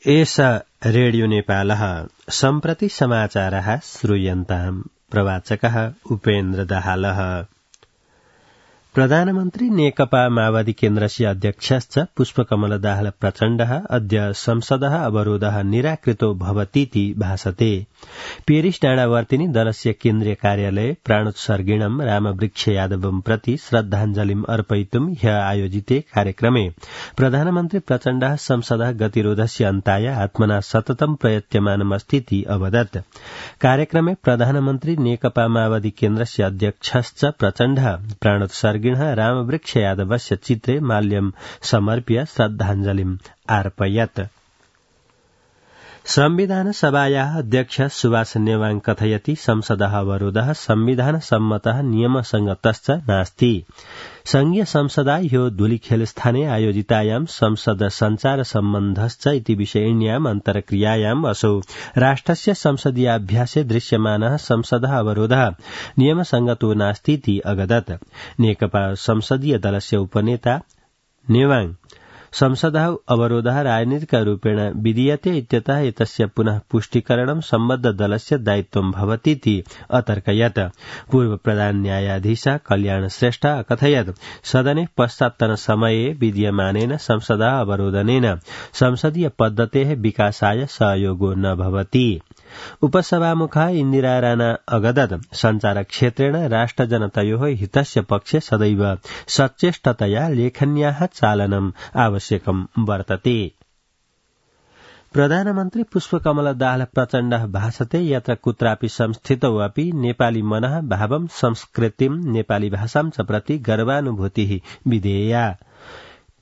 एषा रेडियो नेपालः सम्प्रति समाचारः श्रूयन्ताम्। प्रवाचकः उपेन्द्र दाहालः। प्रधानमन्त्री नेकपा माओवादी केन्द्रस्य अध्यक्षश्च पुष्पकमल दाहाल प्रचण्डः अद्य संसदः अवरोधः निराकृतो भवतीति भासते। पेरिस डाँडावर्तिनि दलस्य केन्द्रीय कार्यालये प्राणोत्सर्गिणम् रामवृक्ष यादवं प्रति श्रद्धाञ्जलिम् अर्पयितुम् ह्य आयोजिते कार्यक्रमे प्रधानमन्त्री प्रचण्डः संसदः गतिरोधस्य अन्ताय आत्मना सततं प्रयत्यमानमस्तीति अवदत्। कार्यक्रमे प्रधानमन्त्री नेकपा माओवादी केन्द्रस्य अध्यक्षश्च प्रचण्डः प्राणोत्सर्ग रामवृक्ष यादवस्य चित्रे माल्यं समर्प्य श्रद्धाञ्जलिम् अर्पयत्। संविधान सभायाः अध्यक्ष सुभाष नेवाङ कथयति संसदः अवरोधः संविधान सम्मतः नियमसंगतश्च नास्ति। संघीय संसदा ह्यो धूलिखेलस्थाने आयोजितायां संसद संचार सम्बन्धश्च इति विषयिण्याम् अन्तर्क्रियायाम् असौ राष्ट्रस्य संसदीयाभ्यासे दृश्यमानः संसदः अवरोधः नियमसंगतो नास्तीति अगदत्। नेकपा संसदीय दलस्य उपनेता नेवाङ संसदः अवरोधः राजनीतिकरूपेण विधीयते इत्यतः एतस्य पुनः पुष्टिकरणं सम्बद्ध दलस्य दायित्वं भवतीति अतर्कयत्। पूर्व प्रधान न्यायाधीश कल्याण श्रेष्ठ अकथयत् सदने पश्चात्तन समये विद्यमानेन संसदः अवरोधनेन संसदीय पद्धतेः विकासाय सहयोगो न भवति। उपसभामुखः इन्दिरा राणा अगदत् संचार क्षेत्रेण राष्ट्रजनतयोः हितस्य पक्षे सदैव सचेष्टतया लेखन्याः चालनम् आवश्यकम् वर्तते। प्रधानमन्त्री पुष्पकमल दाहाल प्रचण्डः भाषते यत्र कुत्रापि संस्थितौ अपि नेपाली मनः भावं संस्कृतिं नेपाली भाषां च प्रति गर्वानुभूतिः विधेया।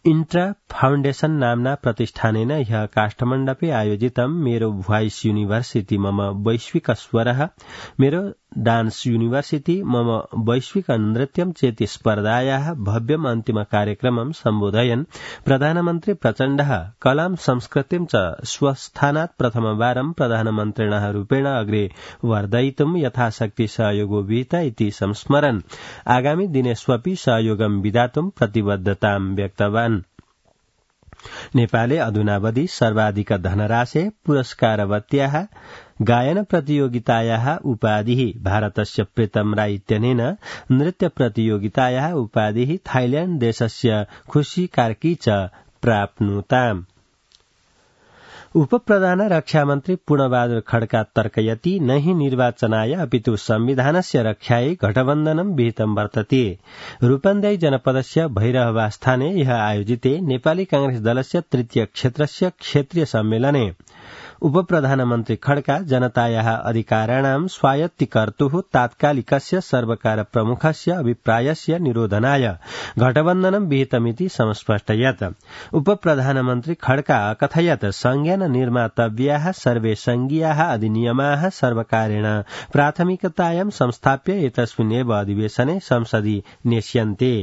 इन्ट्रा फाउण्डेशन नाम्ना प्रतिष्ठानेन ह्यः काष्ठमण्डपे आयोजितं मेरो भोइस यूनिभर्सिटी मम वैश्विक स्वरः मेरो डान्स यूनिभर्सिटी मम वैश्विक नृत्यं चेति स्पर्धायाः भव्यम् अन्तिम कार्यक्रमं सम्बोधयन् प्रधानमन्त्री प्रचण्डः कलां संस्कृतिं च स्वस्थानात् प्रथमवारं प्रधानमन्त्रिणः रूपेण अग्रे वर्धयितुं यथाशक्ति सहयोगो विहित इति संस्मरन् आगामी दिनेष्वपि सहयोगं विधातुं प्रतिबद्धतां व्यक्तवान्। नेपाले अधुनावधि सर्वाधिक धनराशे पुरस्कारवत्याः गायन प्रतियोगितायाः उपाधिः भारतस्य प्रीतम राय इत्यनेन नृत्य प्रतियोगितायाः उपाधिः थाइल्याण्ड देशस्य खुशी कार्की च प्राप्नुताम्। उपप्रधान रक्षामन्त्री पूर्णबहादुर खड्का तर्कयति न हि निर्वाचनाय अपितु संविधानस्य रक्षायै गठबन्धनं विहितं वर्तते। रूपन्देही जनपदस्य भैरहवास्थाने ह्यः आयोजिते नेपाली कांग्रेस दलस्य तृतीय क्षेत्रस्य क्षेत्रीय सम्मेलने उपप्रधानमन्त्री खड्का जनतायाः अधिकाराणां स्वायत्तीकर्तुः तात्कालिकस्य सर्वकार प्रमुखस्य अभिप्रायस्य निरोधनाय गठबन्धनं विहितमिति समस्पष्टयत्। उपप्रधानमन्त्री खड्का अकथयत् संज्ञान निर्मातव्याः सर्वे संघीयाः अधिनियमाः सर्वकारेण प्राथमिकतायां संस्थाप्य एतस्मिन्नेव अधिवेशने संसदि नेष्यन्ते।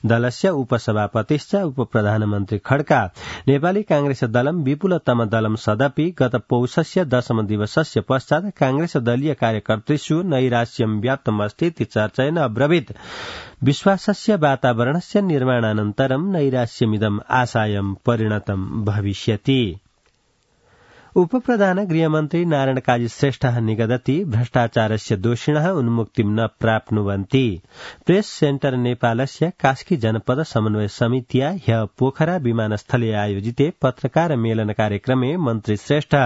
दलस्य उपसभापतिश्च उपप्रधानमन्त्री खड्का नेपाली कांग्रेस दलं विपुलतम दलं सदपि गत पौषस्य 10 दिवसस्य पश्चात् कांग्रेस दलीय कार्यकर्तृषु नैराश्यं व्याप्तमस्तीति चर्चयन् अब्रवीत् विश्वासस्य वातावरणस्य निर्माणानन्तरं नैराश्यमिदम् आशायं परिणतं भविष्यति। उपप्रधान गृहमन्त्री नारायण काजी श्रेष्ठः निगदति भ्रष्टाचारस्य दोषिणः उन्मुक्तिं न प्राप्नुवन्ति। प्रेस सेन्टर नेपालस्य कास्की जनपद समन्वय समितिया ह्यः पोखरा विमानस्थले आयोजिते पत्रकार मेलन कार्यक्रमे मन्त्री श्रेष्ठ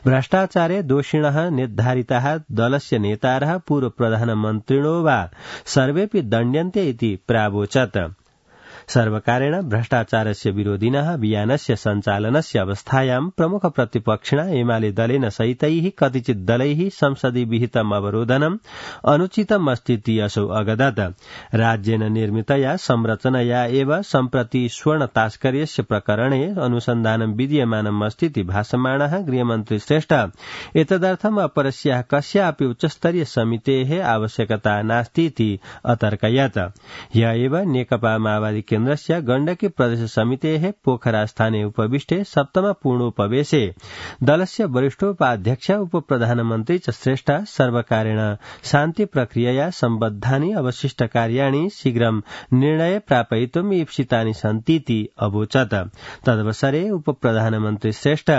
भ्रष्टाचारे दोषिणः निर्धारिताः दलस्य नेतारः पूर्व प्रधानमन्त्रिणो वा सर्वेपि दण्ड्यन्ते इति प्रावोचत्। सर्वकारेण भ्रष्टाचारस्य विरोधिनः अभियानस्य सञ्चालनस्य अवस्थायां प्रमुख प्रतिपक्षिणा एमाले दलेन सहितैः कतिचित् दलैः संसदि विहितम् अवरोधनम् अनुचितमस्तीति असौ अगदत्। राज्येन निर्मितया संरचनया एव सम्प्रति स्वर्ण तास्कर्यस्य प्रकरणे अनुसन्धानं विद्यमानम् अस्तीति भाषमाणः गृहमन्त्री श्रेष्ठ एतदर्थम् अपरस्याः कस्यापि उच्चस्तरीय समितेः आवश्यकता नास्तीति अतर्कयत्। ह्यः एव नेकपा माओवादी केन्द्रस्य गण्डकी प्रदेश समितेः पोखरा स्थाने उपविष्टे सप्तम पूर्णोपवेशे दलस्य वरिष्ठोपाध्यक्ष उपप्रधानमन्त्री च श्रेष्ठ सर्वकारेण शान्ति प्रक्रियया सम्बद्धानि अवशिष्ट कार्याणि शीघ्रं निर्णय प्रापयितुम् ईप्सितानि सन्तीति अवोचत्। तदवसरे उपप्रधानमन्त्री श्रेष्ठ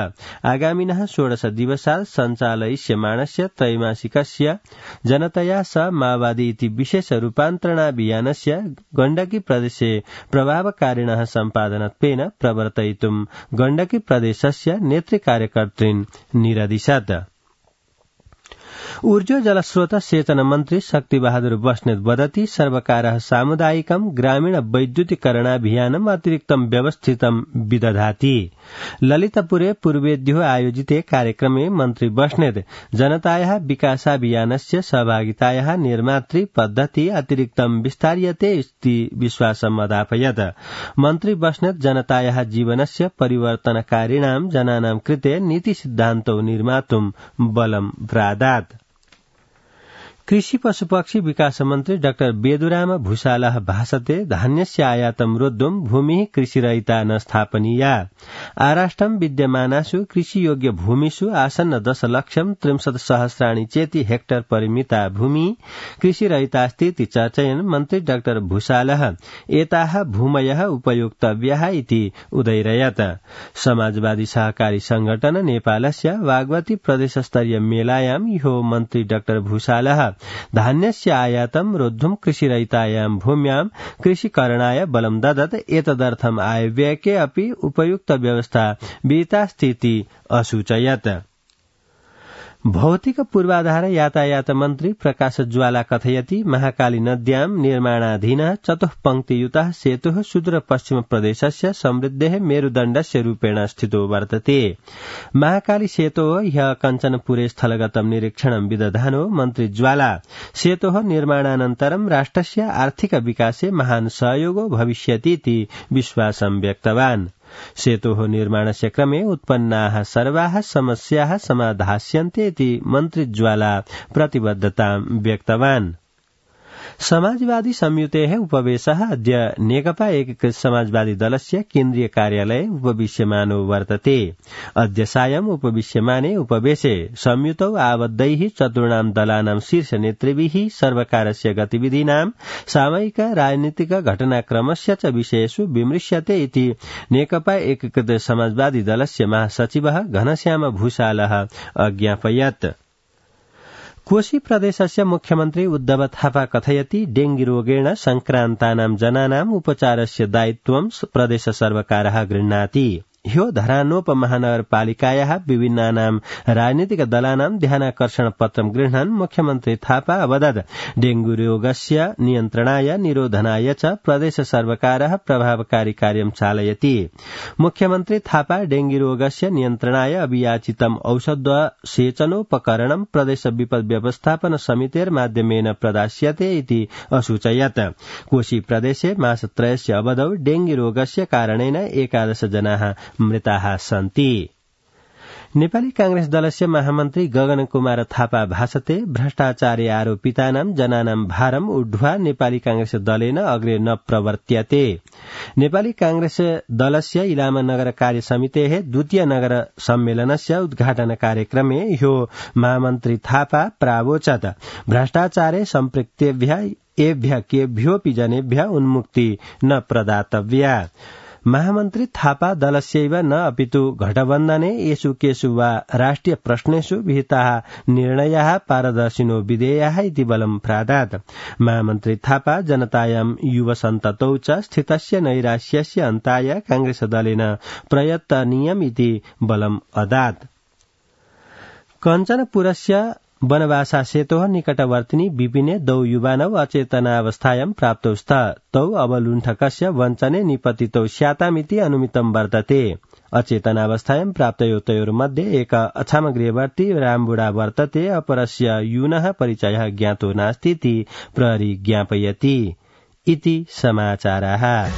आगामिनः 16 दिवसात् सञ्चालयिष्यमाणस्य त्रैमासिकस्य जनतया स माओवादी इति विशेष रूपान्तरणाभियानस्य गण्डकी प्रदेशे प्रभावकारिणः सम्पादनत्वेन प्रवर्तयितुं गण्डकी प्रदेशस्य नेतृकार्यकर्तॄन् निरदिशत्। ऊर्जा जलस्रोत सेचन मन्त्री शक्तिबहादुर बस्नेत वदति सर्वकारः सामुदायिकं ग्रामीण वैद्युतीकरणाभियानम् अतिरिक्तं व्यवस्थितं विदधाति। ललितपुरे पूर्वेद्यो आयोजिते कार्यक्रमे मन्त्री बस्नेत जनतायाः विकासाभियानस्य सहभागितायाः निर्मातृ पद्धति अतिरिक्तं विस्तार्यते इति विश्वासम् अदापयत्। मन्त्री बस्नेत जनतायाः जीवनस्य परिवर्तनकारिणां जनानां कृते नीतिसिद्धान्तौ निर्मातुं बलं प्रादात्। कृषि पशुपक्षी विकास मन्त्री डाक्टर बेदुराम भूषालः भाषते धान्यस्य आयातं रोद्धुं भूमिः कृषिरहिता न स्थापनीया। आराष्ट्रं विद्यमानासु कृषियोग्य भूमिषु आसन्न 10,30,000 चेति हेक्टर परिमिता भूमि कृषिरहितास्ति इति चर्चयन् मन्त्री डाक्टर भूषालः एताः भूमयः उपयोक्तव्याः इति उदैरयत्। समाजवादी सहकारी संगठन नेपालस्य वागवती प्रदेशस्तरीय मेलायां ह्यो मन्त्री डाक्टर भूषालः धान्यस्य आयातं रोद्धुं कृषिरहितायां भूम्यां कृषिकरणाय बलं ददत्। एतदर्थम् आयव्ययके अपि उपयुक्त व्यवस्था विहितास्तीति असूचयत्। भौतिक पूर्वाधार यातायात मन्त्री प्रकाश ज्वाला कथयति महाकाली नद्यां निर्माणाधीनः चतुःपङ्क्तियुतः सेतुः सुदूरपश्चिम प्रदेशस्य समृद्धेः मेरुदण्डस्य रूपेण स्थितो वर्तते। महाकाली सेतोः ह्यः कञ्चनपुरे स्थलगतं निरीक्षणं विदधानो मन्त्री ज्वाला सेतोः निर्माणानन्तरं राष्ट्रस्य आर्थिक विकासे महान् सहयोगो भविष्यति इति विश्वासं व्यक्तवान्। सेतोः निर्माणस्य क्रमे उत्पन्नाः सर्वाः समस्याः समाधास्यन्ते इति मन्त्री ज्वाला प्रतिबद्धतां व्यक्तवान्। समाजवादी संयुतेः उपवेशः अद्य नेकपा एकीकृत समाजवादी दलस्य केन्द्रीय कार्यालये उपविश्यमानो वर्तते। अद्य सायं उपविश्यमाने उपवेशे संयुतौ आबद्धैः चतुर्णां दलानां शीर्ष नेतृभिः सर्वकारस्य गतिविधीनां सामयिक राजनीतिक घटनाक्रमस्य च विषयेषु विमृश्यते इति नेकपा एकीकृत समाजवादी दलस्य महासचिवः घनश्याम भूषालः अज्ञापयत्। कोशी प्रदेशस्य मुख्यमन्त्री उद्धव थापा कथयति डेंगी रोगेण संक्रान्तानां जनानाम् उपचारस्य दायित्वं प्रदेश सर्वकारः गृह्णाति। ह्यो धरानोपमहानगरपालिकायाः विभिन्नानां राजनीतिक दलानां ध्यानाकर्षण पत्रं गृह्णन् मुख्यमन्त्री थापा अवदत् डेंगू रोगस्य नियन्त्रणाय निरोधनाय च प्रदेश सर्वकारः प्रभावकारी कार्यं चालयति। मुख्यमन्त्री थापा डेंगी रोगस्य नियन्त्रणाय अभियाचितम् औषधसेचनोपकरणं प्रदेश विपद व्यवस्थापन समितेर्माध्यमेन प्रदास्यते इति असूचयत्। कोशी प्रदेशे मासत्रयस्य अवधौ डेंगी रोगस्य कारणेन 11 जनाः मृताः सन्ति। नेपाली कांग्रेस दलस्य महामन्त्री गगन कुमार थापा भाषते भ्रष्टाचारे आरोपितानां जनानां भारम् ऊढ्वा नेपाली कांग्रेस दलेन अग्रे न प्रवर्त्यते। नेपाली कांग्रेस दलस्य इलाम नगर कार्य समितेः द्वितीय नगर सम्मेलनस्य उद्घाटन कार्यक्रमे ह्यो महामन्त्री थापा प्रावोचत् भ्रष्टाचारे सम्पृक्तेभ्यः एभ्यः केभ्योऽपि जनेभ्यः उन्मुक्ति न प्रदातव्या। महामन्त्री थापा दलस्यैव न अपितु घटबन्धने येषु केषु वा राष्ट्रिय प्रश्नेषु विहिताः निर्णयाः पारदर्शिनो विधेयाः इति बलं प्रादात्। महामन्त्री थापा जनतायां युवसन्ततौ च स्थितस्य नैराश्यस्य अन्ताय कांग्रेस दलेन प्रयत्तनीयम् इति बलम् अदात्। कञ्चनपुरस्य वनवासा सेतोः निकटवर्तिनी विपिने द्वौ युवानौ अचेतनावस्थायां प्राप्तौ स्तः। तौ अवलुण्ठकस्य वञ्चने निपतितौ स्यातामिति अनुमितं वर्तते। अचेतनावस्थायां प्राप्तयोर्मध्ये एक अछामगृहवर्ती रामबुडा वर्तते, अपरस्य यूनः परिचयः ज्ञातो नास्ति इति प्रहरी ज्ञापयति। इति समाचाराः।